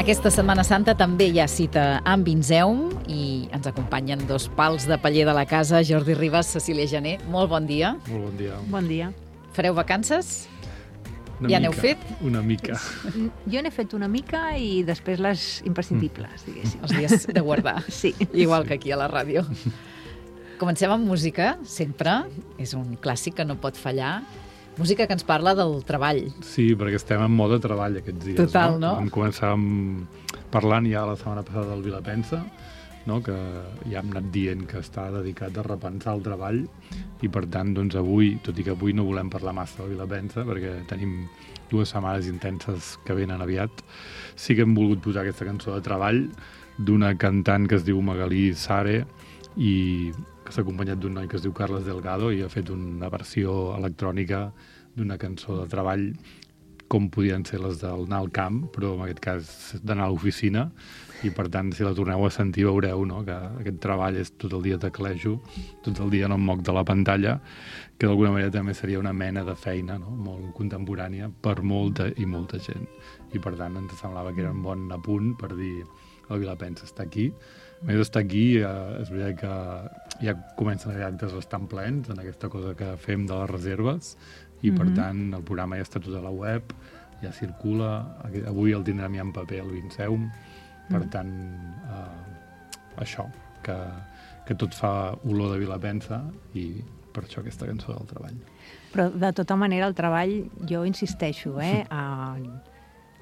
Aquesta Setmana Santa també hi ha cita amb Vinzeum i ens acompanyen dos pals de paller de la casa, Jordi Ribas, Cecília Jané. Molt bon dia. Molt bon dia. Bon dia. Fareu vacances? Ja n'heu fet? Una mica. Jo n'he fet una mica i després les imprescindibles, diguéssim. Els dies de guardar. Sí. Igual que aquí a la ràdio. Comencem amb música, sempre. És un clàssic que no pot fallar. Música que ens parla del treball. Sí, perquè estem en mode treball aquests dies. Total, no? Vam començar parlant ja la setmana passada del Vilapensa, no? Que ja hem anat dient que està dedicat a repensar el treball i per tant, doncs avui, tot i que avui no volem parlar massa del Vilapensa perquè tenim 2 setmanes intenses que venen aviat, sí que hem volgut posar aquesta cançó de treball d'una cantant que es diu Magalí Sare i que s'ha acompanyat d'un noi que es diu Carles Delgado i ha fet una versió electrònica d'una cançó de treball com podien ser les d'anar al camp, però en aquest cas d'anar a l'oficina, i per tant, si la torneu a sentir, veureu, no?, que aquest treball és tot el dia teclejo, tot el dia no em moc de la pantalla, que d'alguna manera també seria una mena de feina, no?, molt contemporània per molta i molta gent. I per tant, ens semblava que era un bon apunt per dir el Vilapensa està aquí. A més d'estar aquí, és veritat que ja comencen a haver actes bastant plens en aquesta cosa que fem de les reserves i, per tant, el programa ja està tot a la web, ja circula. Avui el tindrem ja en paper al Vinzeum. Per tant, això, que tot fa olor de Vilapensa i per això aquesta cançó del treball. Però, de tota manera, el treball, jo insisteixo,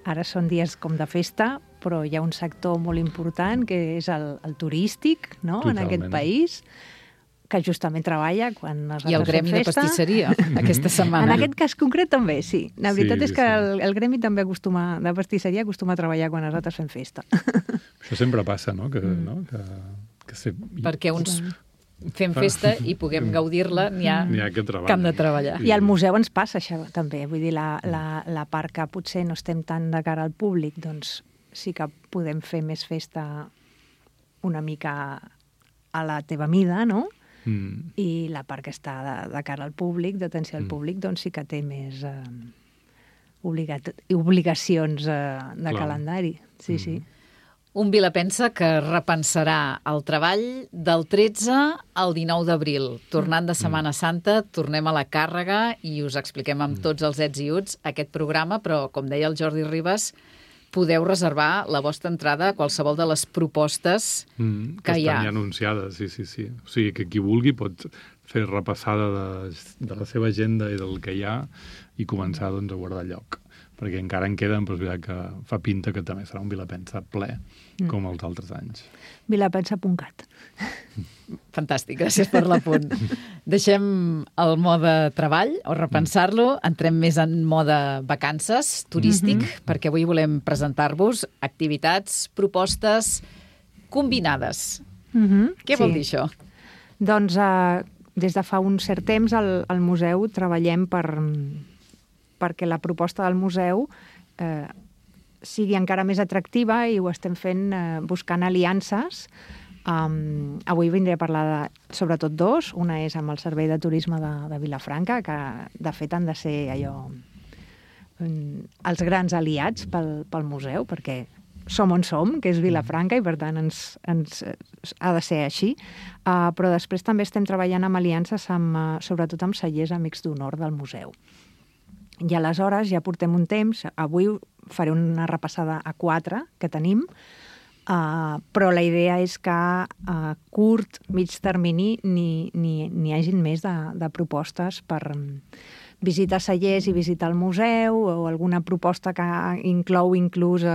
ara són dies com de festa, però hi ha un sector molt important que és el turístic, no?, en aquest país, que justament treballa quan nosaltres fem festa. I el gremi de pastisseria, aquesta setmana. En aquest cas concret també, sí. La veritat és que el gremi també de pastisseria acostuma a treballar quan nosaltres fem festa. Això sempre passa, no? Que perquè uns fem festa i puguem gaudir-la, n'hi ha que hem de treballar. I al museu ens passa això també. Vull dir, la part que potser no estem tan de cara al públic, doncs sí que podem fer més festa una mica a la teva mida, no? I la part que està de cara al públic, d'atenció al públic, doncs sí que té més obligacions de calendari. Sí, sí. Un Vilapensa que repensarà el treball del 13 al 19 d'abril. Tornant de Setmana Santa, tornem a la càrrega i us expliquem amb tots els ets i uts aquest programa, però, com deia el Jordi Ribas, podeu reservar la vostra entrada a qualsevol de les propostes que hi ha. Estan ja anunciades, sí. O sigui, que qui vulgui pot fer repassada de la seva agenda i del que hi ha i començar, doncs, a guardar lloc. Perquè encara en queden, però és veritat que fa pinta que també serà un Vilapensa ple, com els altres anys. Vilapensa.cat. Fantàstic, gràcies per l'apunt. Deixem el mode treball, o repensar-lo, entrem més en mode vacances, turístic, perquè avui volem presentar-vos activitats, propostes combinades. Què vol dir això? Doncs des de fa un cert temps al museu treballem perquè la proposta del museu sigui encara més atractiva i ho estem fent buscant aliances. Avui vindré a parlar de sobretot 2. Una és amb el Servei de Turisme de Vilafranca, que de fet han de ser els grans aliats pel museu, perquè som on som, que és Vilafranca, i per tant ens ha de ser així. Però després també estem treballant amb aliances sobretot amb cellers amics d'honor del museu. I aleshores ja portem un temps, avui faré una repassada a 4 que tenim, però la idea és que a curt, mig termini n'hi hagin més de propostes per visitar cellers i visitar el museu, o alguna proposta que inclou inclús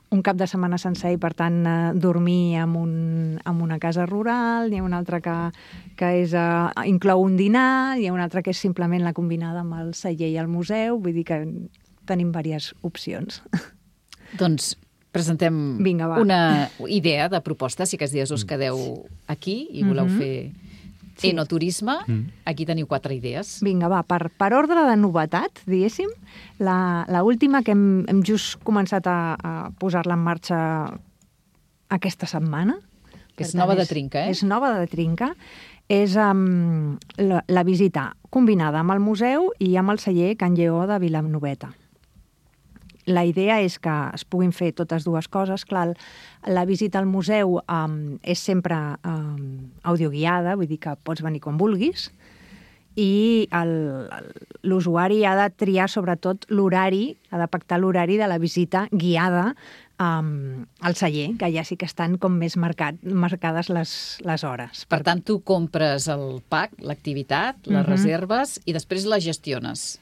un cap de setmana sencer i, per tant, dormir en una casa rural. Hi ha una altra que inclou un dinar, hi ha una altra que és simplement la combinada amb el celler i el museu. Vull dir que tenim diverses opcions. Doncs presentem una idea de proposta. Si aquests dies us quedeu aquí i voleu fer enoturisme, aquí teniu 4 idees. Vinga, va, per ordre de novetat, diguéssim, l'última que hem just començat a posar-la en marxa aquesta setmana. Que és nova de trinca, És nova de trinca. És la visita combinada amb el museu i amb el celler Can Lleó de Vilanoveta. la idea és que es puguin fer totes dues coses. Clar, la visita al museu és sempre audioguiada, vull dir que pots venir quan vulguis, i l'usuari ha de triar sobretot l'horari, ha de pactar l'horari de la visita guiada al celler, que ja sí que estan com més marcades les hores. Per tant, tu compres el pack, l'activitat, les reserves i després la gestiones.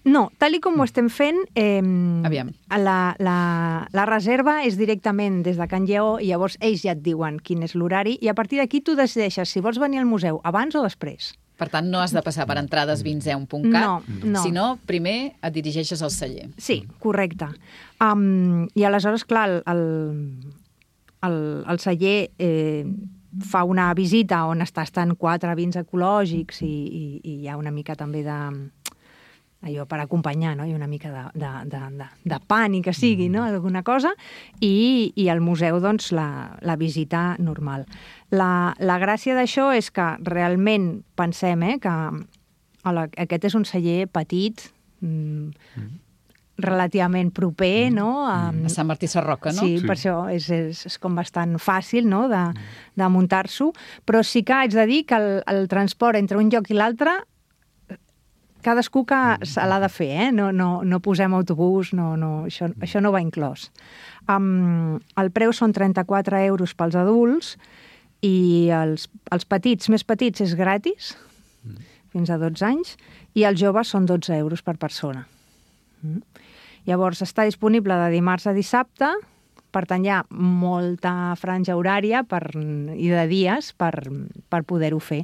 No, tal com ho estem fent, Aviam. La reserva és directament des de Can Lleó i llavors ells ja et diuen quin és l'horari i a partir d'aquí tu decideixes si vols venir al museu abans o després. Per tant, no has de passar per entradesvinzeu.cat, no. sinó primer et dirigeixes al celler. Sí, correcte. I aleshores, clar, el celler fa una visita on estan 4 vins ecològics i hi ha una mica també allò per acompanyar, no? I una mica de pa, ni que sigui, no? Alguna cosa, i al museu, doncs, la visita normal. La gràcia d'això és que realment pensem que aquest és un celler petit, relativament proper, no? A Sant Martí Sarroca, no? Sí, per això és com bastant fàcil, no?, de muntar-s'ho, però sí que haig de dir que el transport entre un lloc i l'altre cadascú que se l'ha de fer, no posem autobús, això no va inclòs. El preu són 34 euros pels adults i els petits, més petits, és gratis, fins a 12 anys, i els joves són 12 euros per persona. Llavors, està disponible de dimarts a dissabte, per tant, hi ha molta franja horària i de dies per poder-ho fer.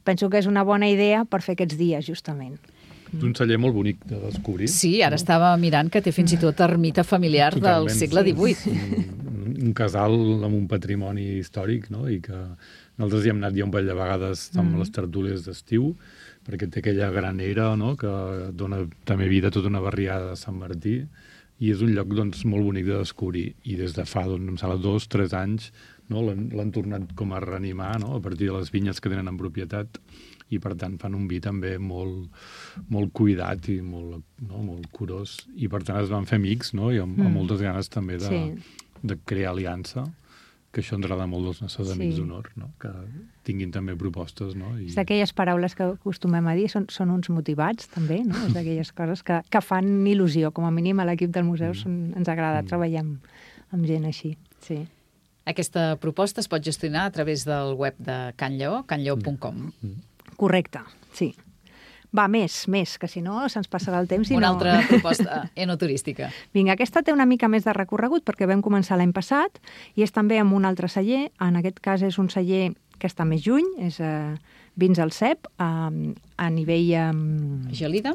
Penso que és una bona idea per fer aquests dies, justament. És un celler molt bonic de descobrir. Sí, ara estava mirant que té fins i tot ermita familiar del segle XVIII. Un casal amb un patrimoni històric, no? I que nosaltres hi hem anat ja un parell de vegades amb les tertúlies d'estiu, perquè té aquella granera, no?, que dona també vida a tota una barriada de Sant Martí, i és un lloc, doncs, molt bonic de descobrir. I des de fa, doncs, em sembla, 2 o 3 anys, no, l'han tornat com a reanimar, no?, a partir de les vinyes que tenen en propietat, i per tant fan un vi també molt cuidat i molt curós. I per tant es van fer amics, no?, i amb moltes ganes també de crear aliança, que això ens agrada molt dels nostres amics d'honor, no?, que tinguin també propostes, no? És d'aquelles paraules que acostumem a dir, són uns motivats també, no? És d'aquelles coses que fan il·lusió, com a mínim a l'equip del museu ens agrada treballar amb gent així, sí. Aquesta proposta es pot gestionar a través del web de Can Lleó, canlleo.com. Correcte, sí. Va, més, que si no se'ns passarà el temps i Una altra proposta enoturística. Vinga, aquesta té una mica més de recorregut perquè vam començar l'any passat i és també amb un altre celler. En aquest cas és un celler que està més lluny, és Vins al Cep, a nivell... Gelida?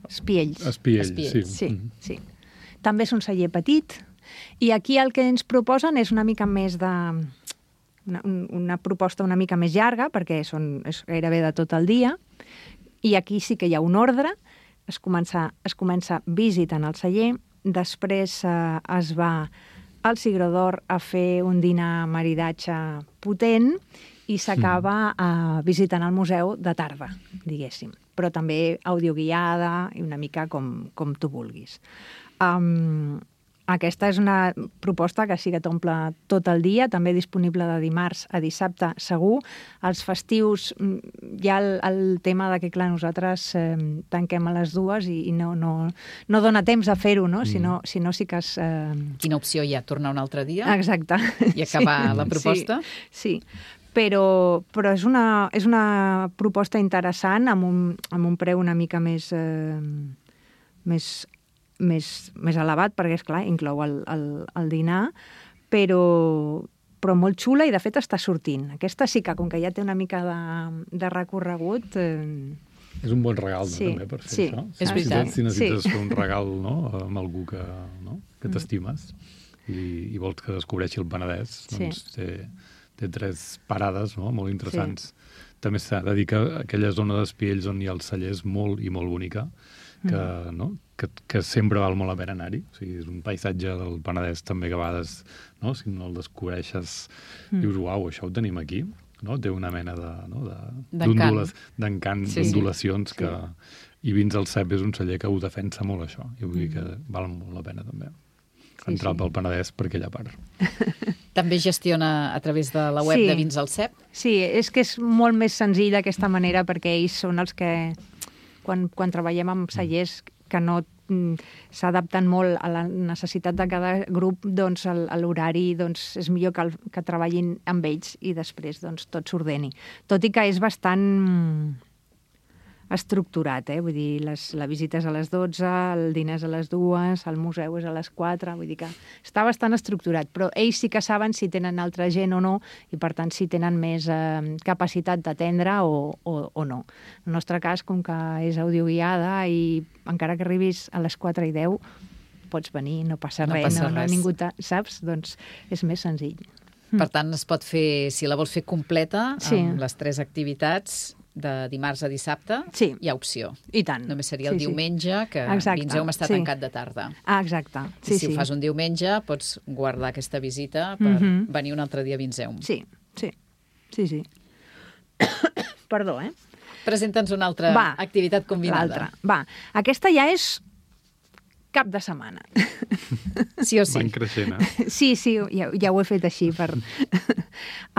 Espiells. Espiells, sí. També és un celler petit i aquí el que ens proposen és una mica més de... una proposta una mica més llarga, perquè és gairebé de tot el dia, i aquí sí que hi ha un ordre, es comença visitant el celler, després es va al Cigró d'Or a fer un dinar maridatge potent i s'acaba visitant el museu de tarda, diguéssim, però també audioguiada i una mica com tu vulguis. Aquesta és una proposta que sí que t'omple tot el dia, també disponible de dimarts a dissabte, segur. Els festius hi ha el tema de que, clar, nosaltres tanquem a les 2 i no dona temps a fer-ho, no? Si no sí que es... Quina opció hi ha? Tornar un altre dia? Exacte. I acabar la proposta? Sí. Però és una proposta interessant amb un preu una mica més elevat, perquè, esclar, inclou el dinar, però molt xula i, de fet, està sortint. Aquesta sí que, com que ja té una mica de recorregut... És un bon regal, també, per fer això. És veritat. Si necessites fer un regal, no?, amb algú que t'estimes i vols que descobreixi el Penedès, doncs té 3 parades, no?, molt interessants. També s'ha de dir que aquella zona d'Espiells on hi ha el celler és molt i molt bonica, que sempre val molt la pena anar-hi. O sigui, és un paisatge del Penedès també que a vegades, no?, si no el descobreixes, dius, uau, això ho tenim aquí, no? Té una mena d'encant, d'ondulacions I Vins al Cep és un celler que ho defensa molt, això. I vull dir que val molt la pena, també, entrar pel Penedès per aquella part. També gestiona a través de la web de Vins al Cep? Sí, és que és molt més senzill d'aquesta manera perquè ells són els que, quan treballem amb cellers que no s'adapten molt a la necessitat de cada grup, doncs l'horari és millor que treballin amb ells i després tot s'ordeni. Tot i que és bastant estructurat, vull dir, la visita és a les 12, el dinar és a les 2, el museu és a les 4, vull dir que està bastant estructurat, però ells sí que saben si tenen altra gent o no, i per tant si tenen més capacitat d'atendre o no. En el nostre cas, com que és audioguiada i encara que arribis a les 4 i 10, pots venir, no passa res, ningú saps? Doncs és més senzill. Per tant, es pot fer, si la vols fer completa, amb les 3 activitats, de dimarts a dissabte, hi ha opció. I tant. Només seria el diumenge, que Vinzeum està tancat de tarda. Exacte. Si ho fas un diumenge, pots guardar aquesta visita per venir un altre dia a Vinzeum. Sí. Perdó, Presenta'ns una altra activitat combinada. Va, aquesta ja és cap de setmana. Sí o sí? Van creixent, Sí, ja ho he fet així.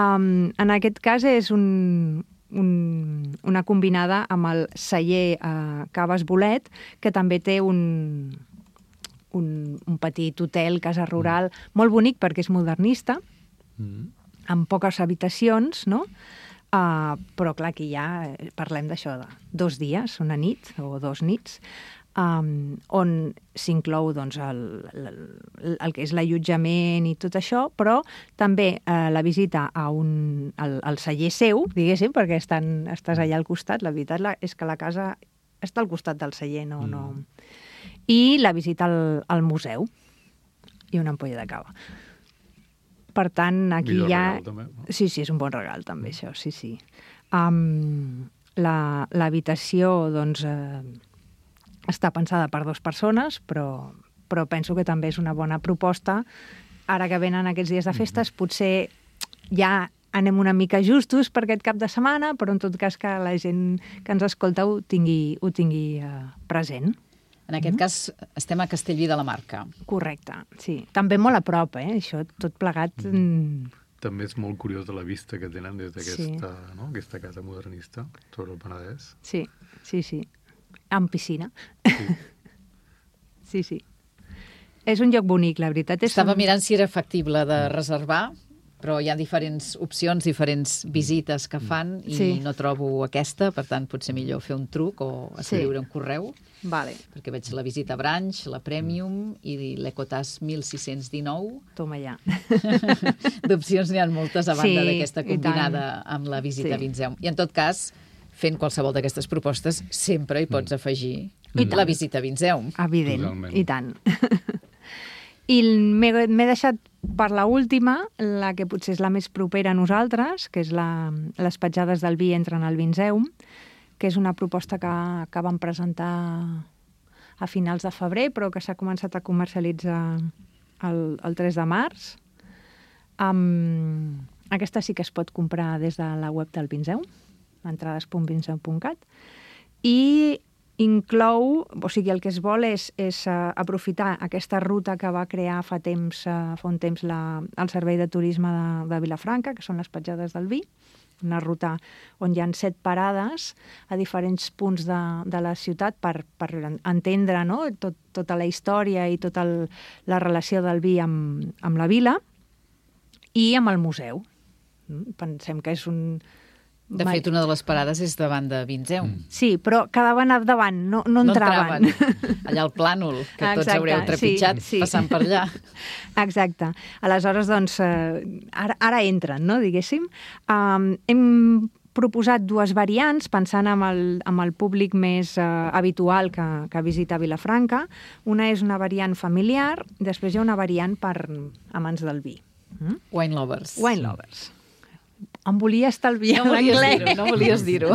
En aquest cas és una combinada amb el celler Caves Bolet, que també té un petit hotel, casa rural, molt bonic perquè és modernista, amb poques habitacions, no? Però clar, aquí ja parlem d'això de 2 dies, una nit o 2 nits, on s'inclou el que és l'allotjament i tot això, però també la visita al celler seu, diguéssim, perquè estàs allà al costat. La veritat és que la casa està al costat del celler, no. I la visita al museu i una ampolla de cava. Per tant, aquí ja... Sí, és un bon regal, també, això, sí. L'habitació, doncs... està pensada per 2 persones, però penso que també és una bona proposta. Ara que venen aquests dies de festes, potser ja anem una mica justos per aquest cap de setmana, però en tot cas que la gent que ens escolta ho tingui present. En aquest cas estem a Castellví de la Marca. Correcte, sí. També molt a prop, això, tot plegat... També és molt curiós de la vista que tenen des d'aquesta casa modernista sobre el Penedès. Sí. Amb piscina. Sí. És un lloc bonic, la veritat. Estava mirant si era factible de reservar, però hi ha diferents opcions, diferents visites que fan i no trobo aquesta, per tant potser millor fer un truc o escriure un correu. Vale. Perquè veig la visita Branch, la Premium i l'Ecotas 1619. Toma ja. D'opcions n'hi ha moltes a banda d'aquesta combinada amb la visita a Vinzeum. I en tot cas, fent qualsevol d'aquestes propostes, sempre hi pots afegir la visita a Vinzeum. Evident, i tant. I m'he deixat per l'última, la que potser és la més propera a nosaltres, que és les petjades del vi entren al Vinzeum, que és una proposta que vam presentar a finals de febrer, però que s'ha començat a comercialitzar el 3 de març. Aquesta sí que es pot comprar des de la web del Vinzeum, entrades.vinzeum.cat, i inclou, o sigui, el que es vol és aprofitar aquesta ruta que va crear fa un temps el Servei de Turisme de Vilafranca, que són les petjades del vi, una ruta on hi ha 7 parades a diferents punts de la ciutat per entendre tota la història i tota la relació del vi amb la vila i amb el museu. Pensem que és un... De fet, una de les parades és davant de Vinzeum. Sí, però quedaven davant, no entraven. Allà al plànol, que tots haureu trepitjat passant per allà. Exacte. Aleshores, doncs, ara entren, no, diguéssim. Hem proposat 2 variants, pensant amb el públic més habitual que visita Vilafranca. Una és una variant familiar, després hi ha una variant per amants del vi. Wine lovers. Wine lovers. Em volia estalviar l'anglès. No volies dir-ho.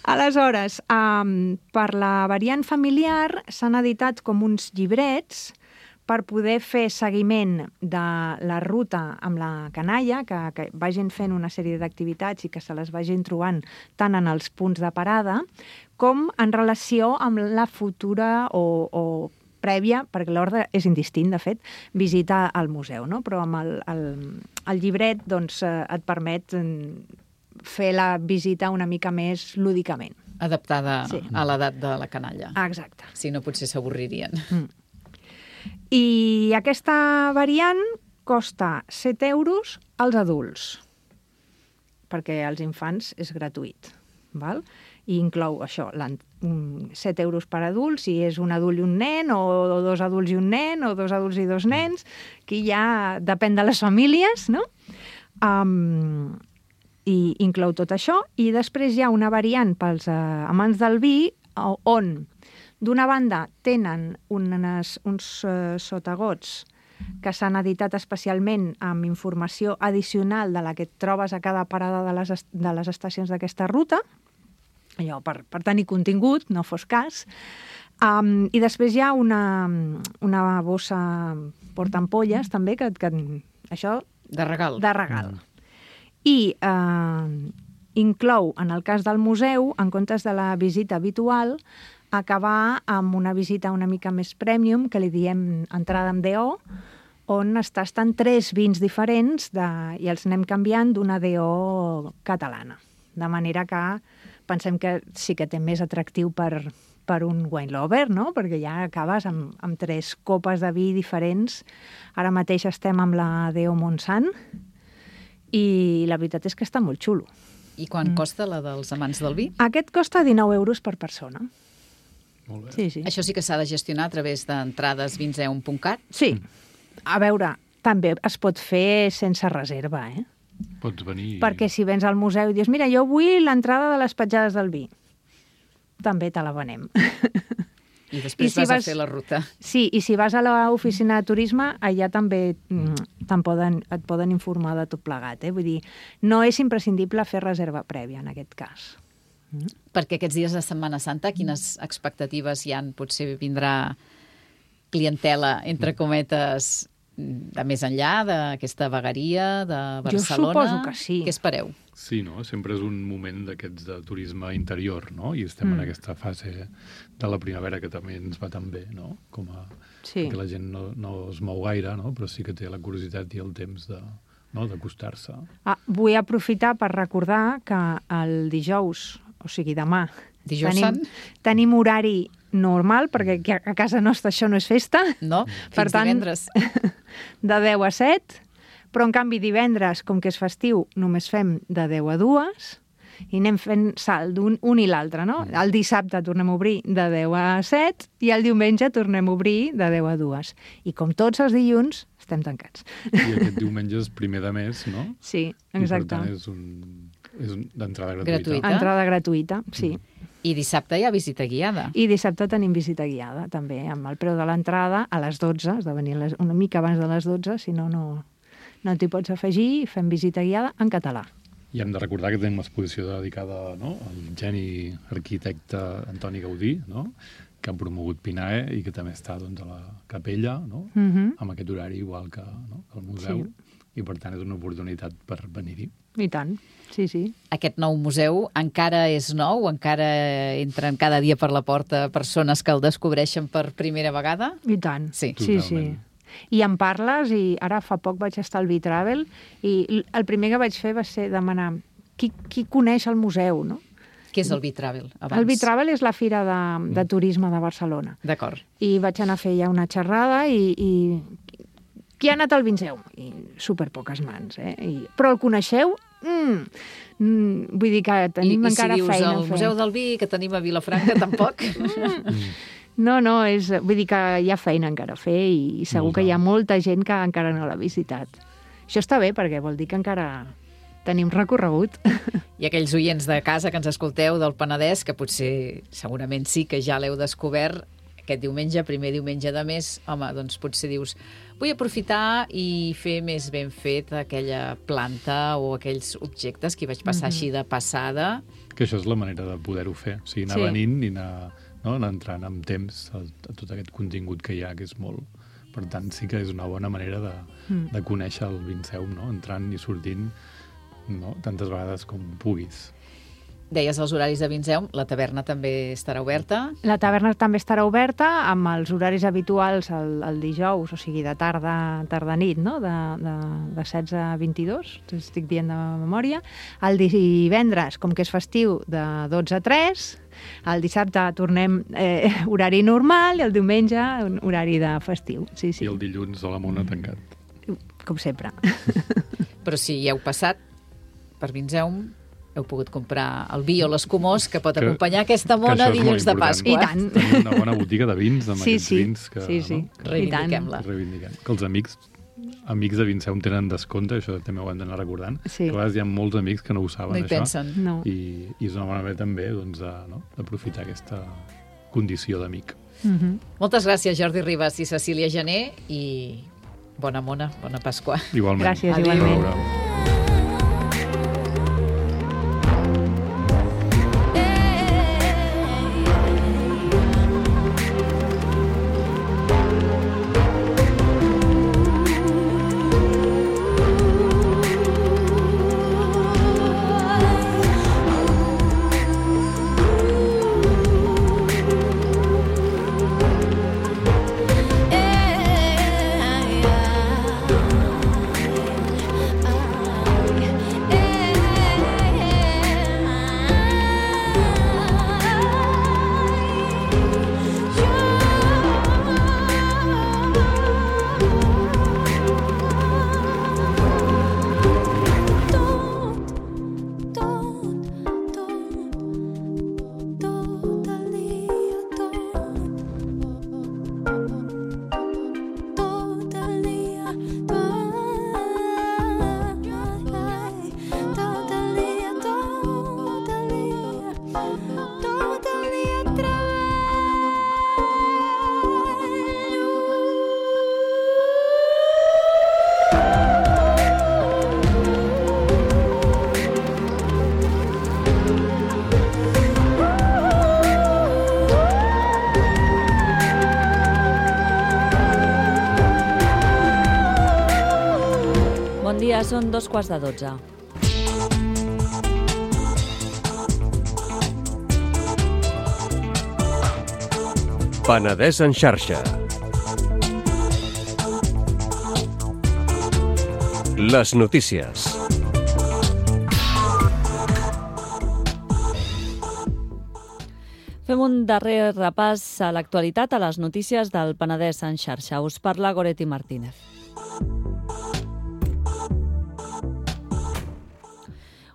Aleshores, per la variant familiar s'han editat com uns llibrets per poder fer seguiment de la ruta amb la canalla, que vagin fent una sèrie d'activitats i que se les vagin trobant tant en els punts de parada com en relació amb la futura o prèvia, perquè l'ordre és indistint, de fet, visita al museu, no? Però amb el llibret doncs, et permet fer la visita una mica més lúdicament. Adaptada a l'edat de la canalla. Exacte. Si no, potser s'avorririen. I aquesta variant costa 7 euros als adults, perquè als infants és gratuït, val? I inclou això, 7 euros per adult, si és un adult i un nen, o 2 adults i un nen, o 2 adults i 2 nens, que ja depèn de les famílies, no? I inclou tot això, i després hi ha una variant pels amants del vi, on d'una banda tenen uns sotagots que s'han editat especialment amb informació addicional de la que et trobes a cada parada de les estacions d'aquesta ruta, allò per tenir contingut, no fos cas. I després hi ha una bossa portampolles, també, que això... De regal. De regal. I inclou, en el cas del museu, en comptes de la visita habitual, acabar amb una visita una mica més premium, que li diem entrada amb DO, on es tasten 3 vins diferents i els anem canviant d'una DO catalana. De manera que pensem que sí que té més atractiu per un wine lover, no? Perquè ja acabes amb 3 copes de vi diferents. Ara mateix estem amb la DO Montsant i la veritat és que està molt xulo. I quan costa la dels amants del vi? Aquest costa 19 euros per persona. Molt bé. Sí. Això sí que s'ha de gestionar a través d'entrades vinseum.cat? Sí. A veure, també es pot fer sense reserva, eh? Pots venir... Perquè si vens al museu i dius, mira, jo vull l'entrada de les petjades del vi, també te la venem. I després vas a fer la ruta. Sí, i si vas a l'oficina de turisme, allà també et poden informar de tot plegat. Vull dir, no és imprescindible fer reserva prèvia en aquest cas. Perquè aquests dies de Setmana Santa, quines expectatives hi ha? Potser vindrà clientela, entre cometes, de més enllà d'aquesta vegueria de Barcelona? Jo suposo que sí. Què espereu? Sí, no? Sempre és un moment d'aquests de turisme interior, no? I estem en aquesta fase de la primavera que també ens va tan bé, no? Perquè la gent no es mou gaire, no? Però sí que té la curiositat i el temps d'acostar-se. Vull aprofitar per recordar que el dijous, o sigui demà, tenim horari normal, perquè a casa nostra això no és festa. No, fins divendres. De 10 a 7, però en canvi divendres, com que és festiu, només fem de 10 a 2 i anem fent salt d'un i l'altre, no? El dissabte tornem a obrir de 10 a 7 i el diumenge tornem a obrir de 10 a 2. I com tots els dilluns, estem tancats. I aquest diumenge és primer de mes, no? Sí, exacte. I per tant és d'entrada gratuïta. Entrada gratuïta, sí. I dissabte hi ha visita guiada. I dissabte tenim visita guiada, també, amb el preu de l'entrada a les 12, has de venir una mica abans de les 12, si no t'hi pots afegir, i fem visita guiada en català. I hem de recordar que tenim l'exposició dedicada al geni arquitecte Antoni Gaudí, no? Que ha promogut PINAE i que també està a la capella, no? Amb aquest horari igual que el museu. Sí. I, per tant, és una oportunitat per venir-hi. I tant, sí. Aquest nou museu encara és nou? Encara entren cada dia per la porta persones que el descobreixen per primera vegada? I tant, sí. I em parles, i ara fa poc vaig estar al Vitravel, i el primer que vaig fer va ser demanar qui coneix el museu, no? Què és el Vitravel? El Vitravel és la fira de turisme de Barcelona. D'acord. I vaig anar a fer ja una xerrada i qui ha anat al Vinzeu? I superpoques mans, però el coneixeu? Vull dir que tenim encara feina a fer. I si dius el Museu del Vi, que tenim a Vilafranca, tampoc? No, vull dir que hi ha feina encara a fer i segur que hi ha molta gent que encara no l'ha visitat. Això està bé perquè vol dir que encara tenim recorregut. I aquells oients de casa que ens escolteu del Penedès, que potser, segurament sí que ja l'heu descobert, aquest diumenge, primer diumenge de mes, home, doncs potser dius, vull aprofitar i fer més ben fet aquella planta o aquells objectes que hi vaig passar així de passada. Que això és la manera de poder-ho fer, o sigui, anar venint i anar entrant amb temps a tot aquest contingut que hi ha, que és molt Per tant, sí que és una bona manera de conèixer el Vinceum, no? Entrant i sortint, no? Tantes vegades com puguis. Deies els horaris de Vinceum, la taverna també estarà oberta. La taverna també estarà oberta amb els horaris habituals el dijous, o sigui, de tarda-nit, no? De 16 a 22, estic dient de memòria. El divendres, com que és festiu, de 12 a 3. El dissabte tornem horari normal i el diumenge horari de festiu. Sí, sí. I el dilluns a la Mona tancat. Com sempre. Però si hi heu passat per Vinceum, heu pogut comprar el vi o l'escumós que pot acompanyar aquesta mona dilluns de Pasqua. I tant. Tenim una bona botiga de vins amb aquests vins que... Sí. No? Reivindiquem-la. Que els amics de Vinceum tenen descompte, això també ho hem d'anar recordant, Sí. que a vegades hi ha molts amics que no ho saben, No hi això. pensen. No. I és una bona manera també d'aprofitar aquesta condició d'amic. Moltes gràcies, Jordi Ribas i Cecília Gené, i bona mona, bona Pasqua. Igualment. Gràcies, Adéu. igualment. A veure. Bon dia, són 2:15. Penedès en xarxa. Les notícies. Fem un darrer repàs a l'actualitat, a les notícies del Penedès en xarxa. Us parla Goretti Martínez.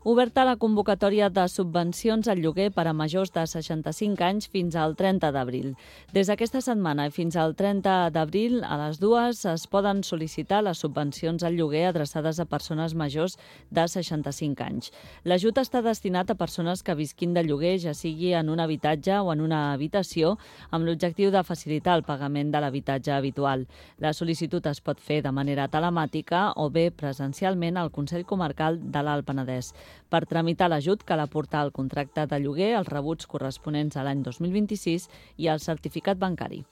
Oberta la convocatòria de subvencions al lloguer per a majors de 65 anys fins al 30 d'abril. Des d'aquesta setmana i fins al 30 d'abril, a les 2 es poden sol·licitar les subvencions al lloguer adreçades a persones majors de 65 anys. L'ajut està destinat a persones que visquin de lloguer, ja sigui en un habitatge o en una habitació, amb l'objectiu de facilitar el pagament de l'habitatge habitual. La sol·licitud es pot fer de manera telemàtica o bé presencialment al Consell Comarcal de l'Alt Penedès. Per tramitar l'ajut cal aportar el contracte de lloguer, els rebuts corresponents a l'any 2026 i el certificat bancari.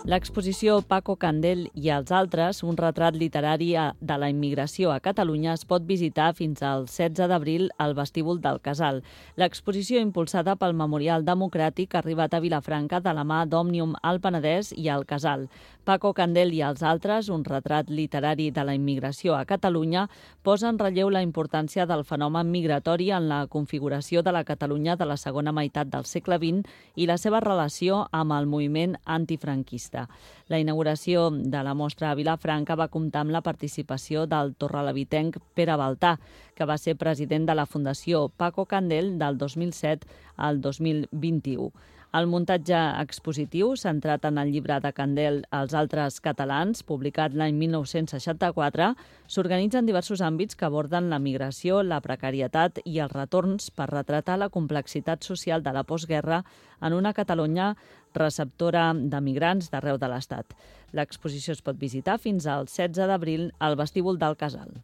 L'exposició Paco Candel i els altres, un retrat literari de la immigració a Catalunya, es pot visitar fins al 16 d'abril al vestíbul del Casal. L'exposició, impulsada pel Memorial Democràtic, ha arribat a Vilafranca de la mà d'Òmnium al Penedès i al Casal. Paco Candel i els altres, un retrat literari de la immigració a Catalunya, posa en relleu la importància del fenomen migratori en la configuració de la Catalunya de la segona meitat del segle XX i la seva relació amb el moviment antifranquista. La inauguració de la mostra a Vilafranca va comptar amb la participació del torrelavitenc Pere Baltà, que va ser president de la Fundació Paco Candel del 2007 al 2021. El muntatge expositiu, centrat en el llibre de Candel Els altres catalans, publicat l'any 1964, s'organitza en diversos àmbits que aborden la migració, la precarietat i els retorns per retratar la complexitat social de la postguerra en una Catalunya receptora de migrants d'arreu de l'Estat. L'exposició es pot visitar fins al 16 d'abril al vestíbul del Casal.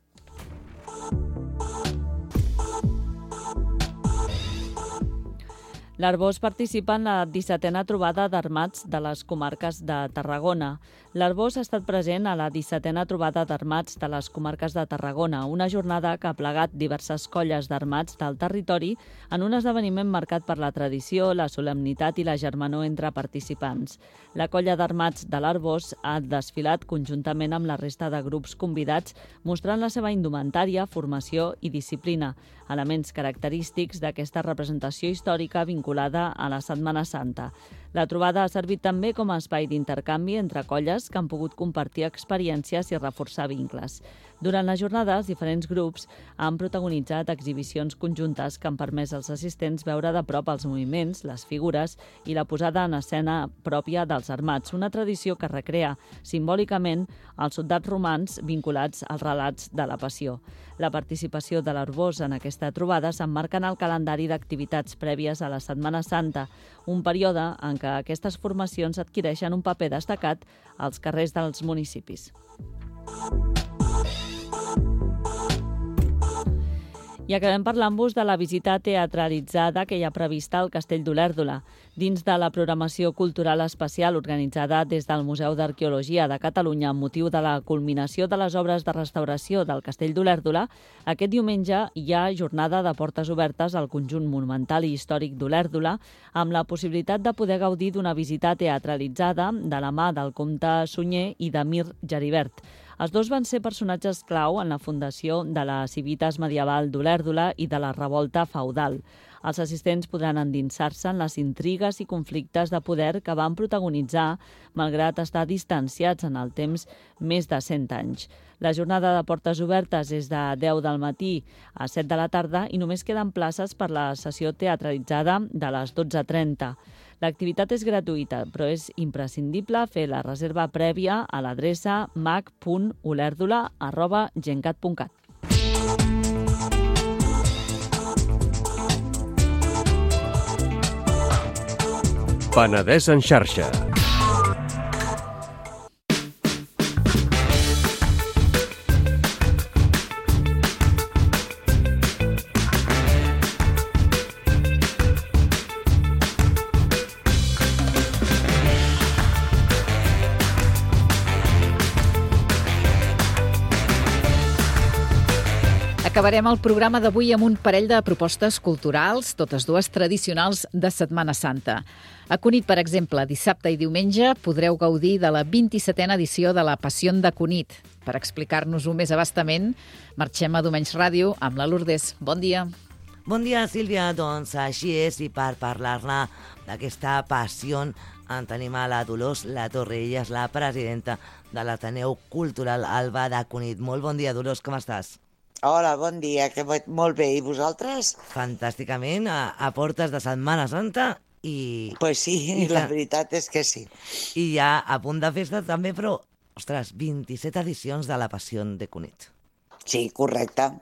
L'Arboç participa en la 17a trobada d'armats de les comarques de Tarragona. L'Arboç ha estat present a la 17a trobada d'armats de les comarques de Tarragona, una jornada que ha plegat diverses colles d'armats del territori en un esdeveniment marcat per la tradició, la solemnitat i la germanor entre participants. La colla d'armats de l'Arboç ha desfilat conjuntament amb la resta de grups convidats, mostrant la seva indumentària, formació i disciplina, elements característics d'aquesta representació històrica vinculada a la Setmana Santa. La trobada ha servit també com a espai d'intercanvi entre colles que han pogut compartir experiències i reforçar vincles. Durant les jornades, diferents grups han protagonitzat exhibicions conjuntes que han permès als assistents veure de prop els moviments, les figures i la posada en escena pròpia dels armats, una tradició que recrea simbòlicament els soldats romans vinculats als relats de la Passió. La participació de l'Arboç en aquesta trobada s'emmarca en el calendari d'activitats prèvies a la Setmana Santa, un període en què aquestes formacions adquireixen un paper destacat als carrers dels municipis. I acabem parlant-vos de la visita teatralitzada que hi ha prevista al Castell d'Olèrdola. Dins de la programació cultural especial organitzada des del Museu d'Arqueologia de Catalunya amb motiu de la culminació de les obres de restauració del Castell d'Olèrdola, aquest diumenge hi ha jornada de portes obertes al conjunt monumental i històric d'Olèrdola amb la possibilitat de poder gaudir d'una visita teatralitzada de la mà del comte Sunyer i de Mir Geribert. Els dos van ser personatges clau en la fundació de la Civitas medieval d'Olèrdola i de la revolta feudal. Els assistents podran endinsar-se en les intrigues i conflictes de poder que van protagonitzar, malgrat estar distanciats en el temps més de 100 anys. La jornada de portes obertes és de 10 del matí a 7 de la tarda i només queden places per la sessió teatralitzada de les 12:30. L'activitat és gratuïta, però és imprescindible fer la reserva prèvia a l'adreça mac.olèrdola@gencat.cat. Penedès en xarxa. Acabarem el programa d'avui amb un parell de propostes culturals, totes dues tradicionals de Setmana Santa. A Cunit, per exemple, dissabte i diumenge podreu gaudir de la 27a edició de la Passió de Cunit. Per explicar-nos-ho més abastament, marxem a Domenys Ràdio amb la Lourdes. Bon dia. Bon dia, Sílvia. Doncs així és, i per parlar-ne d'aquesta passió en tenim a la Dolors La Torre. Ella és la presidenta de l'Ateneu Cultural Alba de Cunit. Molt bon dia, Dolors, com estàs? Hola, bon dia, que molt bé. I vosaltres? Fantàsticament, a portes de Setmana Santa i... Pues sí, la veritat és que sí. I ja a punt de festa també, però, ostres, 27 edicions de la Passió de Cunit. Sí, correcte.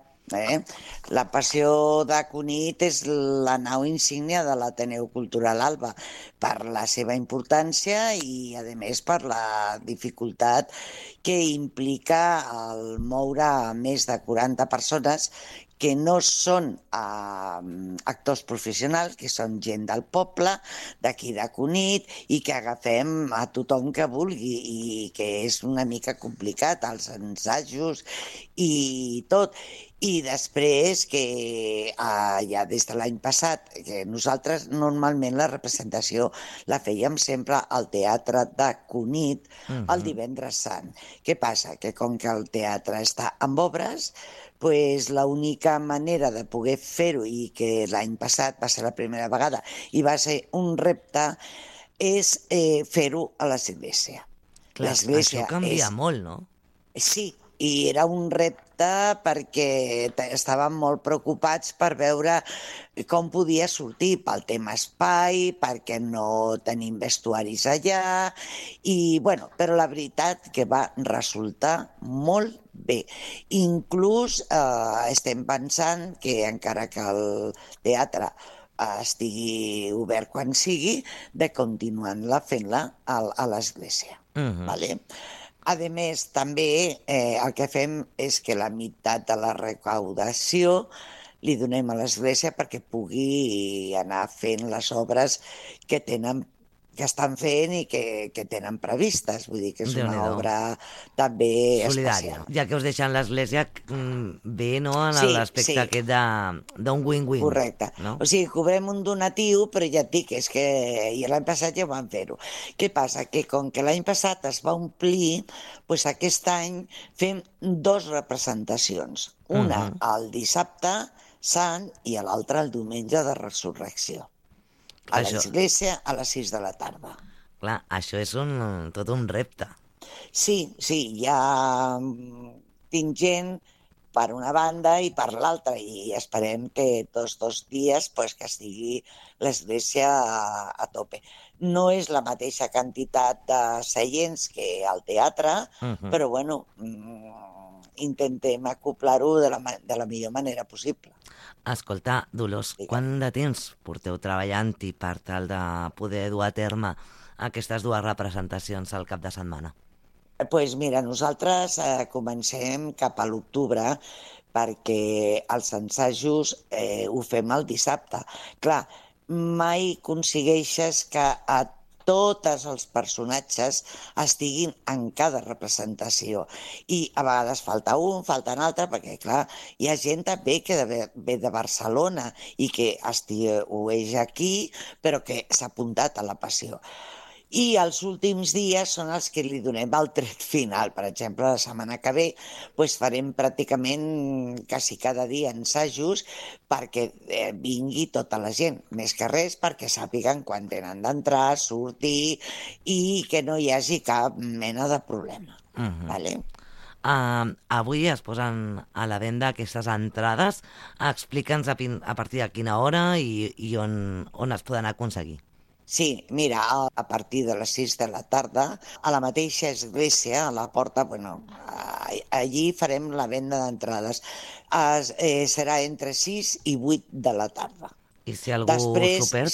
La Passió de Cunit és la nau insígnia de l'Ateneu Cultural Alba per la seva importància i, a més, per la dificultat que implica el moure a més de 40 persones que no són actors professionals, que són gent del poble, d'aquí de Cunit, i que agafem a tothom que vulgui, i que és una mica complicat, els ensajos i tot. I després que ja des de l'any passat, que nosaltres normalment la representació la fèiem sempre al Teatre de Cunit el divendres sant. Què passa? Que com que el teatre està amb obres, pues l'única manera de poder fer-ho, i que l'any passat va ser la primera vegada i va ser un repte, és fer-ho a l'església. Clar, això canvia molt, no? Sí, i era un repte perquè estàvem molt preocupats per veure com podia sortir pel tema espai, perquè no tenim vestuaris allà, i bueno, però la veritat que va resultar molt bé. Inclús estem pensant que encara que el teatre estigui obert quan sigui, de continuar fent-la a l'església. Vale? A més, també el que fem és que la meitat de la recaudació li donem a l'Església perquè pugui anar fent les obres que estan fent i que tenen previstes. Vull dir que és una Déu-n'hi-do. obra també Solidària. especial. Ja que us deixen l'Església bé, no?, en Sí, l'aspecte sí. aquest d'un win-win. Correcte. No? O sigui, cobrem un donatiu, però ja et dic, és que i l'any passat ja vam fer-ho. Què passa? Que com que l'any passat es va omplir, doncs aquest any fem 2 representacions. Una el dissabte sant i l'altra el diumenge de resurrecció. A Això- l'església a les 6 de la tarda. Clar, això és tot un repte. Sí, ja tinc gent per una banda i per l'altra, i esperem que tots 2 dies pues, que estigui l'església a tope. No és la mateixa quantitat de seients que al teatre, però bueno, intentem acoplar-ho de la millor manera possible. Escolta, Dolors, Digue'm. quant de temps porteu treballant-hi per tal de poder dur a terme aquestes 2 representacions al cap de setmana? Doncs mira, nosaltres comencem cap a l'octubre perquè els assajos ho fem el dissabte. Clar, mai aconsegueixes que a tots els personatges estiguin en cada representació. I a vegades falta un, falta un altre, perquè, clar, hi ha gent també que ve de Barcelona i que estiueix aquí, però que s'ha apuntat a la Passió. I els últims dies són els que li donem el tret final. Per exemple, la setmana que ve doncs farem pràcticament quasi cada dia ensajos perquè vingui tota la gent. Més que res perquè sàpiguen quan tenen d'entrar, sortir i que no hi hagi cap mena de problema. Vale? Avui es posen a la venda aquestes entrades. Explica'ns a partir de quina hora i on es poden aconseguir. Sí, mira, a partir de les 6 de la tarda, a la mateixa església, a la porta, allí farem la venda d'entrades. Serà entre 6 i 8 de la tarda. I si algú Després, s'ho perd?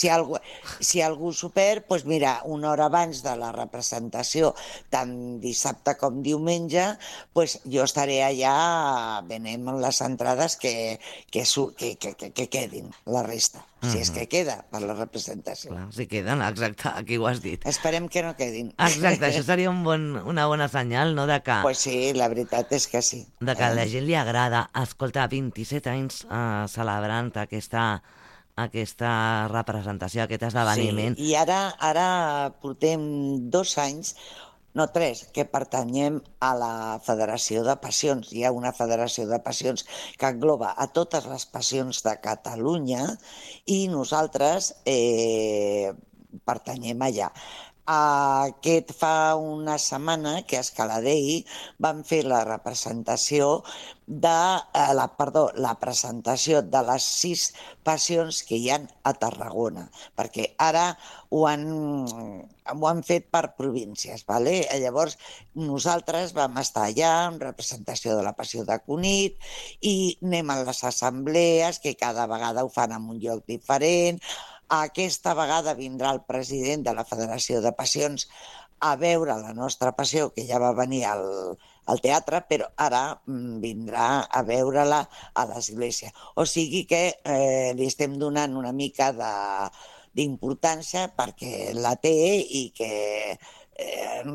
si algú s'ho perd, doncs mira, una hora abans de la representació, tant dissabte com diumenge, doncs jo estaré allà venent les entrades que quedin, la resta. Si és que queda per la representació. Clar, si queden, exacte, aquí ho has dit. Esperem que no quedin. Exacte, això seria una bona senyal, no?, de que, Pues sí, la veritat és que sí. de que a la gent li agrada. Escolta, 27 anys celebrant aquesta representació, aquest esdeveniment. Sí, i ara portem 2 anys, no 3, que pertanyem a la Federació de Passions. Hi ha una Federació de Passions que engloba a totes les passions de Catalunya i nosaltres pertanyem allà. Aquest fa una setmana que a Escaladei van fer la representació la presentació de les 6 passions que hi ha a Tarragona, perquè ara ho han fet per províncies, ¿vale? Llavors nosaltres vam estar allà en representació de la Passió de Cunit i anem a les assemblees, que cada vegada ho fan en un lloc diferent. Aquesta vegada vindrà el president de la Federació de Passions a veure la nostra passió, que ja va venir al teatre, però ara vindrà a veure-la a l'església. O sigui que li estem donant una mica d'importància perquè la té i que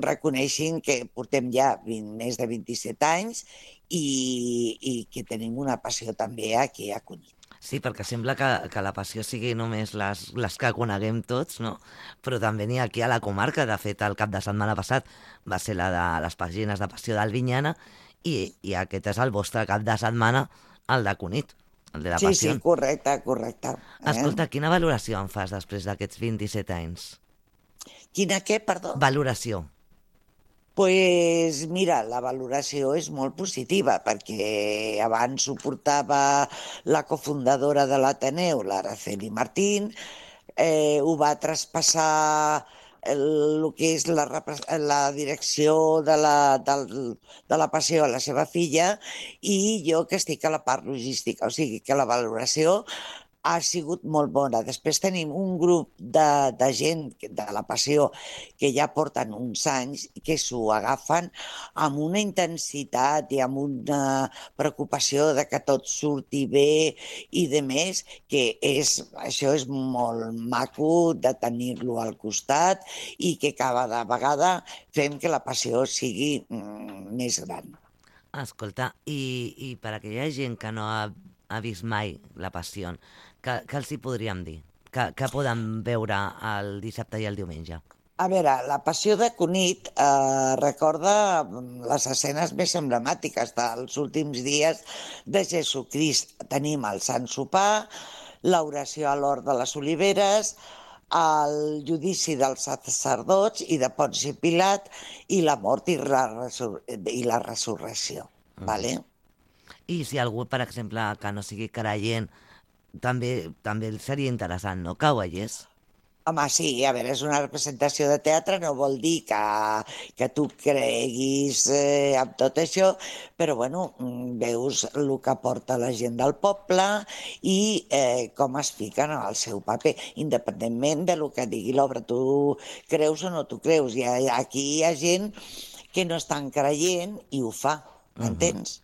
reconeixin que portem ja més de 27 anys i que tenim una passió també aquí a Cunit. Sí, perquè sembla que la passió sigui només les que coneguem tots, no? Però també n'hi ha aquí a la comarca. De fet, el cap de setmana passat va ser la de les pàgines de Passió d'Albinyana i aquest és el vostre cap de setmana, el de Cunit, el de la Passió. Sí, correcte. Escolta, quina valoració en fas després d'aquests 27 anys? Quina què, perdó? Valoració. Pues mira, la valoració és molt positiva, perquè abans ho portava la cofundadora de l'Ateneu, l'Araceli Martín, ho va traspassar el que és la direcció de la passió a la seva filla i jo que estic a la part logística, o sigui que la valoració ha sigut molt bona. Després tenim un grup de gent de la Passió que ja porten uns anys que s'ho agafen amb una intensitat i amb una preocupació de que tot surti bé i de més, que això és molt maco de tenir-lo al costat i que cada vegada fem que la Passió sigui més gran. Escolta, i per aquella gent que no ha vist mai la Passió, què els hi podríem dir? Què poden veure el dissabte i el diumenge? A veure, la Passió de Cunit recorda les escenes més emblemàtiques dels últims dies de Jesucrist. Tenim el Sant Sopar, l'oració a l'Hort de les Oliveres, el judici dels sacerdots i de Ponci Pilat i la mort i la resurrecció. Vale? I si algú, per exemple, que no sigui creient, també seria interessant, no?, que ho veiés. Home, sí, a veure, és una representació de teatre, no vol dir que tu creguis amb tot això, però, bueno, veus el que porta la gent del poble i com es fiquen al seu paper, independentment de lo que digui l'obra. Tu creus o no tu creus. I aquí hi ha gent que no estan creient i ho fa, m'entens?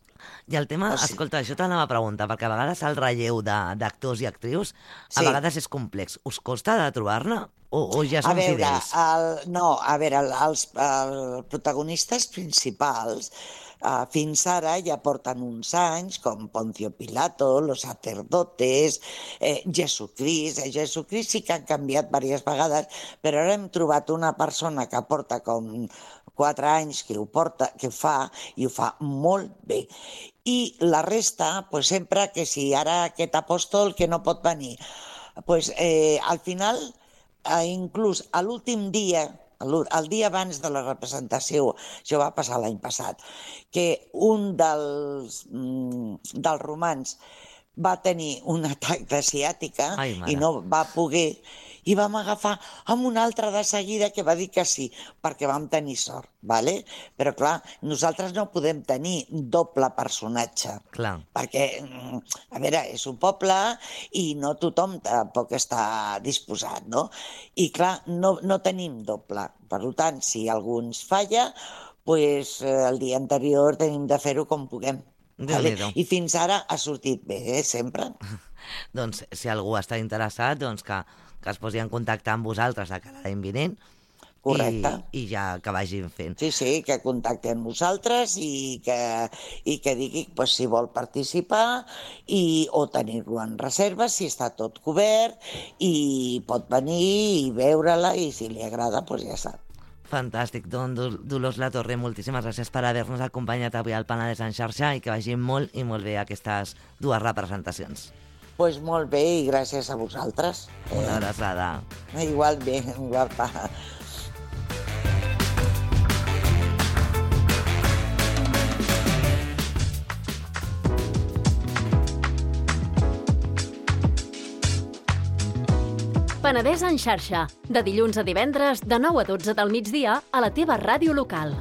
I el tema, escolta, això t'anava a preguntar, perquè a vegades el relleu d'actors i actrius a vegades és complex. Us costa de trobar-ne o ja són fidels? A veure, els protagonistes principals fins ara ja porten uns anys, com Poncio Pilato, los sacerdotes, Jesucrist. Jesucrist sí que han canviat diverses vegades, però ara hem trobat una persona que porta com 4 anys que ho fa i ho fa molt bé. I la resta, pues, sempre que si ara aquest apòstol que no pot venir, pues, al final, inclús a l'últim dia, el dia abans de la representació, això va passar l'any passat, que un dels romans va tenir un atac de ciàtica i no va poder, i vam agafar amb un altre de seguida que va dir que sí, perquè vam tenir sort, ¿vale? Però clar, nosaltres no podem tenir doble personatge, perquè, a veure, és un poble i no tothom tampoc està disposat, no? I clar, no tenim doble. Per tant, si algú ens falla, pues el dia anterior tenim de fer-ho com puguem. Vale? I fins ara ha sortit bé, sempre. Doncs si algú està interessat, doncs que es posi en contacte amb vosaltres de cara a l'any vinent. Correcte. I ja que vagin fent. Sí, que contacti amb nosaltres i que digui pues, si vol participar o tenir-lo en reserva, si està tot cobert i pot venir i veure-la i si li agrada, pues ja sap. Fantàstic. Doncs, Dolors Latorre, moltíssimes gràcies per haver-nos acompanyat avui al Penedès en xarxa i que vagin molt i molt bé aquestes 2 representacions. Doncs molt bé i gràcies a vosaltres. Una abraçada. Igualment, guapa. Penedès en xarxa, de dilluns a divendres, de 9 a 12 del migdia, a la teva ràdio local.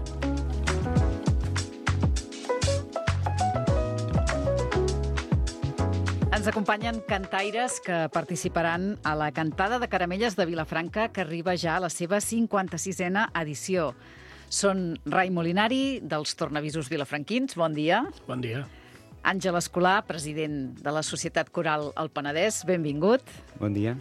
Ens acompanyen cantaires que participaran a la Cantada de Caramelles de Vilafranca, que arriba ja a la seva 56a edició. Són Rai Molinari, dels Tornavisos Vilafranquins. Bon dia. Bon dia. Àngel Escolà, president de la Societat Coral El Penedès. Benvingut. Bon dia.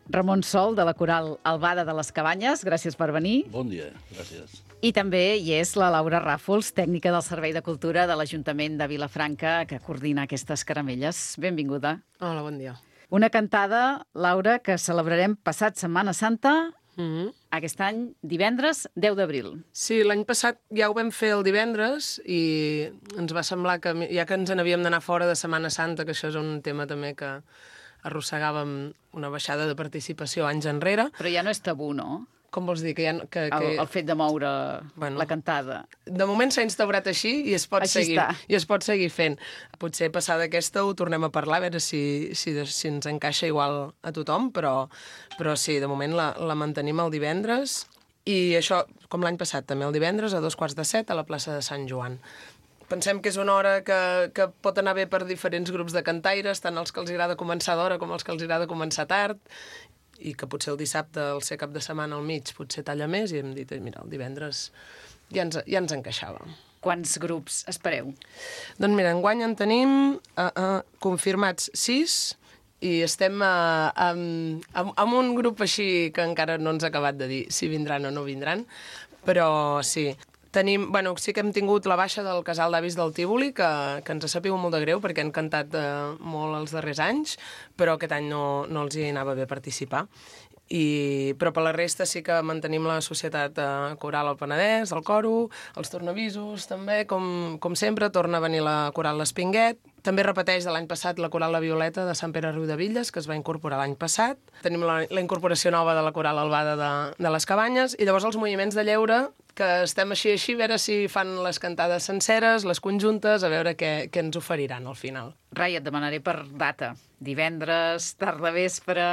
Ramon Sol, de la Coral Albada de les Cabanyes. Gràcies per venir. Bon dia, gràcies. I també hi és la Laura Ràfols, tècnica del Servei de Cultura de l'Ajuntament de Vilafranca, que coordina aquestes caramelles. Benvinguda. Hola, bon dia. Una cantada, Laura, que celebrarem passat Setmana Santa, aquest any, divendres 10 d'abril. Sí, l'any passat ja ho vam fer el divendres i ens va semblar que, ja que ens n'havíem d'anar fora de Setmana Santa, que això és un tema també que arrossegàvem una baixada de participació anys enrere. Però ja no és tabú, no? Com vols dir? El fet de moure la cantada. De moment s'ha instaurat així i es pot seguir fent. Potser passada aquesta ho tornem a parlar, a veure si ens encaixa igual a tothom, però sí, de moment la mantenim el divendres i això, com l'any passat, també el divendres a 7:15 a la plaça de Sant Joan. pensem que és una hora que pot anar bé per diferents grups de cantaires, tant els que els agrada començar d'hora com els que els agrada començar tard, i que potser el dissabte, al ser cap de setmana al mig, potser talla més, i hem dit, mira, el divendres ja ens encaixava. Quants grups espereu? Doncs mira, enguany en tenim confirmats 6, i estem amb un grup així que encara no ens ha acabat de dir si vindran o no vindran, però sí. Sí que hem tingut la baixa del casal d'avis del Tívoli, que ens ha sabut molt de greu perquè han cantat molt els darrers anys, però aquest any no els hi anava bé participar. Però per la resta sí que mantenim la Societat Coral al Penedès, el coro, els tornavisos també, com sempre, torna a venir la Coral l'Espinguet. També repeteix de l'any passat la Coral La Violeta de Sant Pere Riudevilles, que es va incorporar l'any passat. Tenim la incorporació nova de la Coral Albada de les Cabanyes, i llavors els moviments de lleure, que estem així, a veure si fan les cantades senceres, les conjuntes, a veure què ens oferiran al final. Rai, et demanaré per data. Divendres, tarda vespre...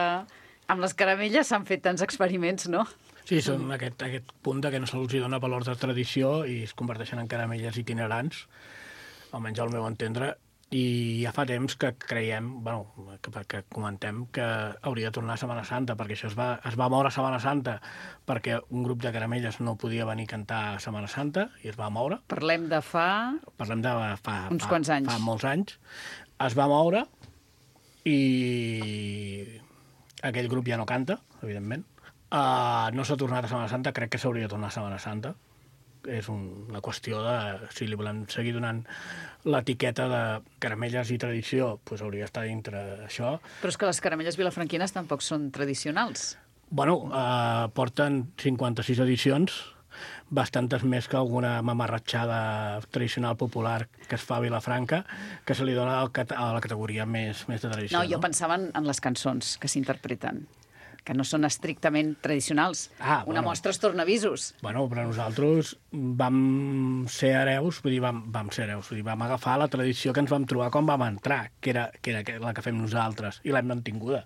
Amb les caramelles s'han fet tants experiments, no? Sí, són aquest punt que no se'ls dona valor de tradició i es converteixen en caramelles itinerants, almenys al meu entendre, i ja fa temps que creiem, que comentem que hauria de tornar a Setmana Santa, perquè això es va moure a Setmana Santa perquè un grup de caramelles no podia venir a cantar a Setmana Santa i es va moure. Parlem de fa uns quants anys. Fa molts anys. Es va moure i aquell grup ja no canta, evidentment. No s'ha tornat a Setmana Santa, crec que s'hauria de tornar a Setmana Santa. És una qüestió de, si li volem seguir donant l'etiqueta de caramelles i tradició, doncs hauria d'estar dintre això. Però és que les caramelles vilafranquines tampoc són tradicionals. Porten 56 edicions, bastantes més que alguna mamarratxada tradicional popular que es fa a Vilafranca, que se li dona a la categoria més de tradició. No, jo pensava en les cançons que s'interpreten, que no són estrictament tradicionals. Una mostra és tornavisos. Però nosaltres vam ser hereus, vam agafar la tradició que ens vam trobar quan vam entrar, que era la que fem nosaltres, i l'hem mantinguda.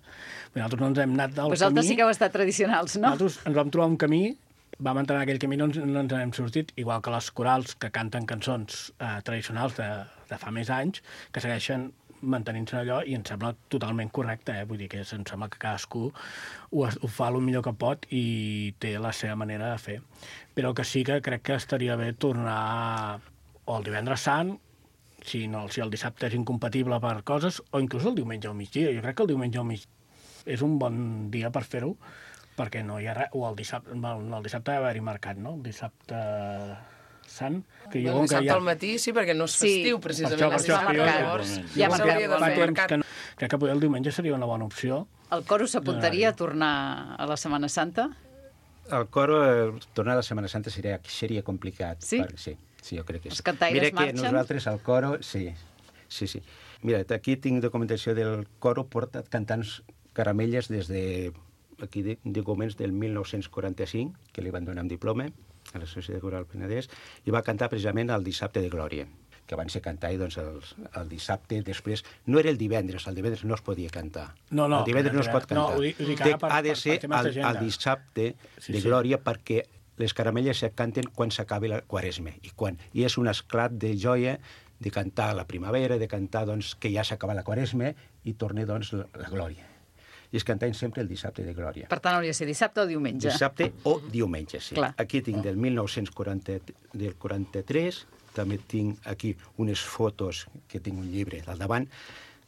Nosaltres no ens hem anat del camí... Vosaltres sí que heu estat tradicionals, no? Nosaltres ens vam trobar un camí, vam entrar en aquell camí, no ens n'hem sortit, igual que les corals que canten cançons tradicionals de fa més anys, que segueixen mantenint-se allò, i em sembla totalment correcte, vull dir que em sembla que cadascú ho fa el millor que pot i té la seva manera de fer. Però que sí que crec que estaria bé tornar o el divendres sant, si el dissabte és incompatible per coses, o inclús el diumenge al migdia. Jo crec que el diumenge al migdia és un bon dia per fer-ho, perquè no hi ha res, o el dissabte ha d'haver-hi marcat, no? El dissabte sant. El dissabte al matí sí, perquè no és festiu, precisament. Per això, crec que el diumenge seria una bona opció. El coro s'apuntaria a tornar a la Setmana Santa? El coro, tornar a la Setmana Santa seria complicat. Sí? Sí, jo crec que sí. Els cantaires marxen? Mira que nosaltres, al coro, sí. Mira, aquí tinc documentació del coro, portat cantant caramelles des de documents del 1945, que li van donar un diploma a la Societat Coral Penedès, i va cantar precisament el dissabte de Glòria, que van ser cantar doncs, el dissabte, després... No era el divendres no es podia cantar. El divendres no es pot cantar. Ha de ser el dissabte de Glòria, perquè les caramelles se canten quan s'acabi la Quaresma. I és un esclat de joia de cantar la primavera, de cantar que ja s'acaba la Quaresma i torna la Glòria. I es cantaven sempre el dissabte de Glòria. Per tant, hauria de ser dissabte o diumenge. Dissabte o diumenge, sí. Clar. Aquí tinc del 1943, també tinc aquí unes fotos, que tinc un llibre al davant,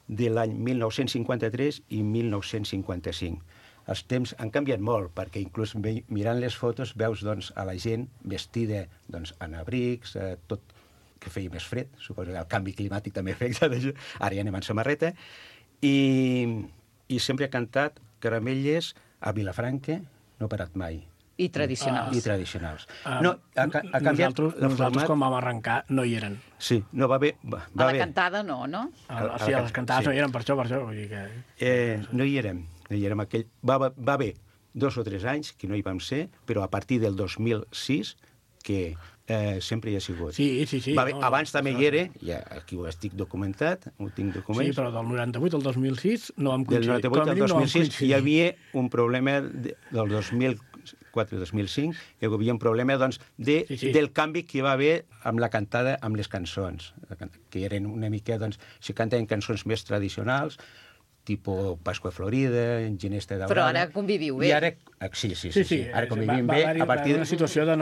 de l'any 1953 i 1955. Els temps han canviat molt, perquè inclús mirant les fotos veus a la gent vestida en abrics, tot que feia més fred, suposo que el canvi climàtic també afecta d'això. Ara ja anem en samarreta. I sempre he cantat caramelles a Vilafranca, no he parat mai. I tradicionals. Nosaltres quan vam arrencar no hi eren. Sí, no va bé. A la cantada no? Sí, a les cantades no hi eren, per això. Vull dir que... No hi érem. Va haver 2 o 3 anys que no hi vam ser, però a partir del 2006 que sempre hi ha sigut. Sí. Abans també hi era, ja aquí ho estic documentat, ho tinc documents. Sí, però del 98 al 2006 no vam coincidir. Del 98 al 2006 hi havia un problema del 2004-2005, hi havia un problema doncs, del canvi que hi va haver amb la cantada, amb les cançons, que eren una mica, doncs, si cantaven cançons més tradicionals, tipus Pasqua Florida, Ginesta Daurada... Però ara conviviu bé. I ara, sí. Ara convivim bé. Va haver una situació de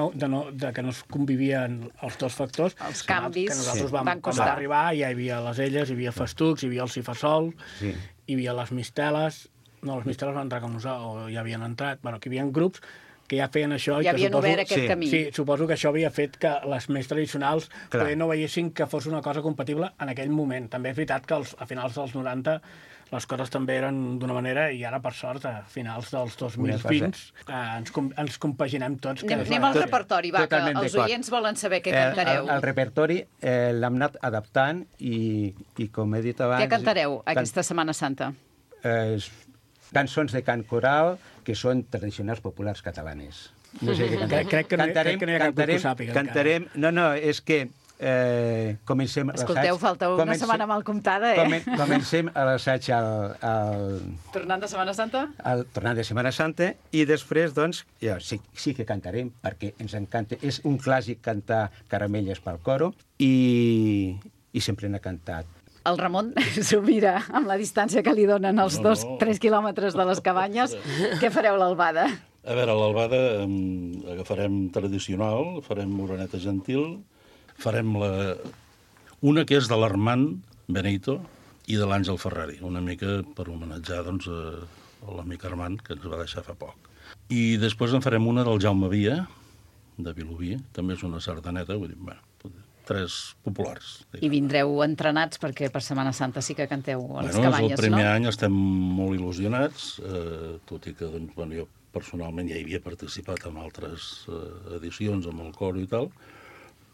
que no es convivien els dos factors. Els canvis que nosaltres vam arribar, ja hi havia les elles, hi havia el festucs, hi havia el cifasol, hi havia les misteles... No, les misteles van entrar com nosaltres, o ja havien entrat... Bueno, que hi havia grups que ja feien això... Ja havien obert aquest camí. Sí, suposo que això havia fet que les més tradicionals no veiessin que fos una cosa compatible en aquell moment. També és veritat que a finals dels 90 les coses també eren d'una manera i ara, per sort, a finals dels 2020 ens compaginem tots. Anem al repertori, va, que els oients volen saber què cantareu. El repertori l'hem anat adaptant i, com he dit abans... Què cantareu aquesta Setmana Santa? Cançons de cant coral que són tradicionals populars catalanes. No sé què cantarem. Crec que no hi ha cap que ho sàpiga. Cantarem... No, és que comencem l'assaig... Escolteu, falta una setmana mal comptada, Comencem l'assaig Tornant de Setmana Santa? Tornant de Setmana Santa, i després, doncs, sí que cantarem, perquè ens encanta. És un clàssic cantar Caramelles pel coro, i sempre n'ha cantat. El Ramon s'ho mira amb la distància que li donen els 2-3 quilòmetres de les cabanyes. Què fareu l'albada? A veure, l'albada agafarem tradicional, farem Moreneta Gentil, farem una que és de l'Armand Benito i de l'Àngel Ferrari, una mica per homenatjar doncs, l'amic Armand, que ens va deixar fa poc. I després en farem una del Jaume Via, de Vilobí, també és una sardaneta, vull dir, bueno, 3 populars. I vindreu entrenats perquè per Setmana Santa sí que canteu a les cabanyes, no? El primer any estem molt il·lusionats, tot i que doncs, jo personalment ja hi havia participat en altres edicions amb el coro i tal,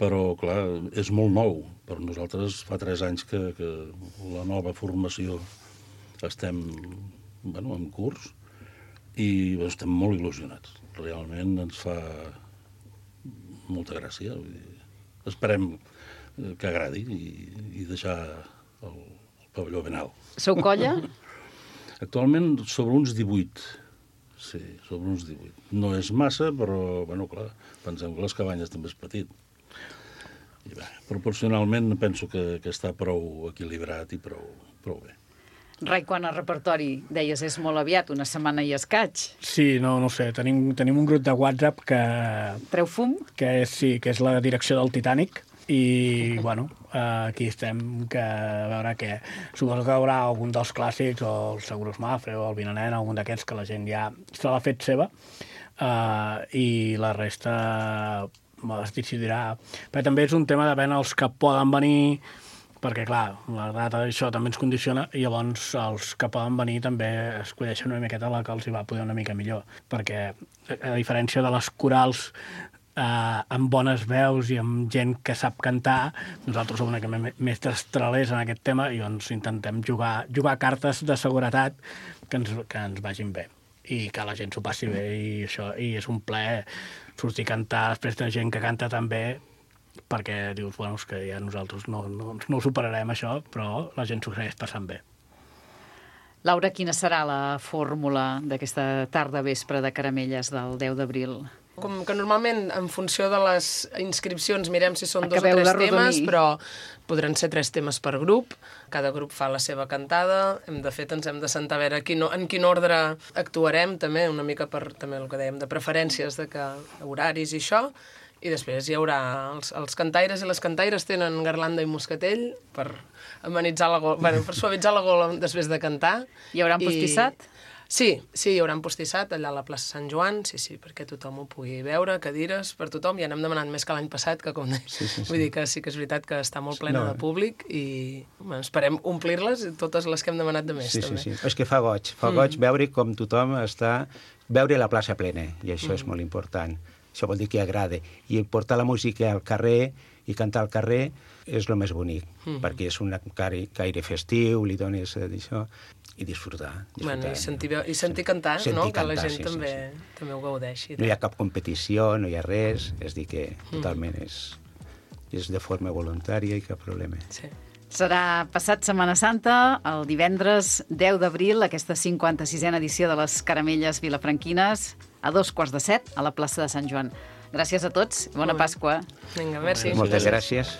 però, clar, és molt nou. Per nosaltres fa 3 anys que la nova formació estem en curs i estem molt il·lusionats. Realment ens fa molta gràcia. Esperem que agradi i deixar el pavelló ben alt. Sou colla? Actualment sobre uns 18. Sí, sobre uns 18. No és massa, però, clar, pensem que les cabanyes també és petit. I bé, proporcionalment penso que està prou equilibrat i prou bé. Rai, quan el repertori, deies, és molt aviat, una setmana i escaig. Sí, no sé, tenim un grup de WhatsApp que... Treu fum? Que és la direcció del Titanic, i, aquí estem, a veure què... Suposo que hi haurà algun dels clàssics, o el Seguros Mafre, o el Vinanen, algun d'aquests que la gent ja se l'ha fet seva, i la resta es decidirà. Però també és un tema de veure els que poden venir, perquè, clar, la data d'això també ens condiciona, i llavors els que poden venir també escolleixen una miqueta la que els hi va poder una mica millor, perquè, a diferència de les corals amb bones veus i amb gent que sap cantar, nosaltres som una mica més destralers en aquest tema, i doncs intentem jugar cartes de seguretat que ens vagin bé, i que la gent s'ho passi bé, i és un plaer sortir a cantar després de gent que canta tan bé, perquè dius, és que ja nosaltres no ho superarem, això, però la gent s'ho segueix passant bé. Laura, quina serà la fórmula d'aquesta tarda vespre de Caramelles del 10 d'abril? Com que normalment, en funció de les inscripcions, mirem si són 2 o 3 temes, però podran ser 3 temes per grup. Cada grup fa la seva cantada. De fet, ens hem de sentar a veure en quin ordre actuarem, també, una mica per també el que dèiem de preferències, horaris i això. I després hi haurà els cantaires i les cantaires tenen garlanda i moscatell per amenitzar la gola, per suavitzar la gola després de cantar. Hi haurà un pastissat? Sí, hi haurà un pastissat allà a la plaça Sant Joan, sí, perquè tothom ho pugui veure, cadires per tothom. Ja n'hem demanat més que l'any passat, que com vull dir que sí que és veritat que està molt plena de públic, i esperem omplir-les, totes les que hem demanat de més, també. Sí. És que fa goig veure com tothom està... Veure la plaça plena, i això és molt important. Això vol dir que agrada. I portar la música al carrer i cantar al carrer és el més bonic, perquè és un caire festiu, li dones això, i disfrutar. I sentir cantar, que la gent també ho gaudeixi. No hi ha cap competició, no hi ha res, és dir que totalment és de forma voluntària i cap problema. Sí. Serà passat Setmana Santa, el divendres 10 d'abril, aquesta 56a edició de les Caramelles vilafranquines, a 7:15, a la plaça de Sant Joan. Gràcies a tots, bona Pasqua. Vinga, merci. Moltes gràcies.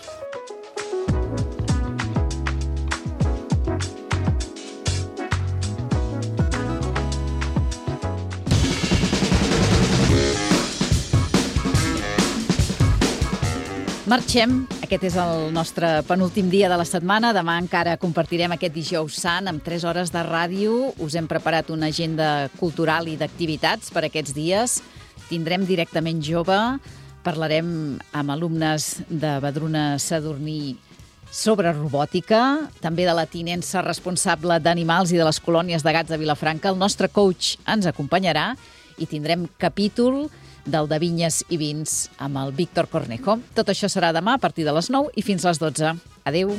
Marxem. Aquest és el nostre penúltim dia de la setmana. Demà encara compartirem aquest dijous sant amb 3 hores de ràdio. Us hem preparat una agenda cultural i d'activitats per aquests dies. Tindrem Directament Jove. Parlarem amb alumnes de Vedruna Sadurní sobre robòtica, també de la tinença responsable d'animals i de les colònies de gats de Vilafranca. El nostre coach ens acompanyarà i tindrem capítol del de Vinyes i Vins amb el Víctor Cornejo. Tot això serà demà a partir de les 9 i fins les 12. Adéu.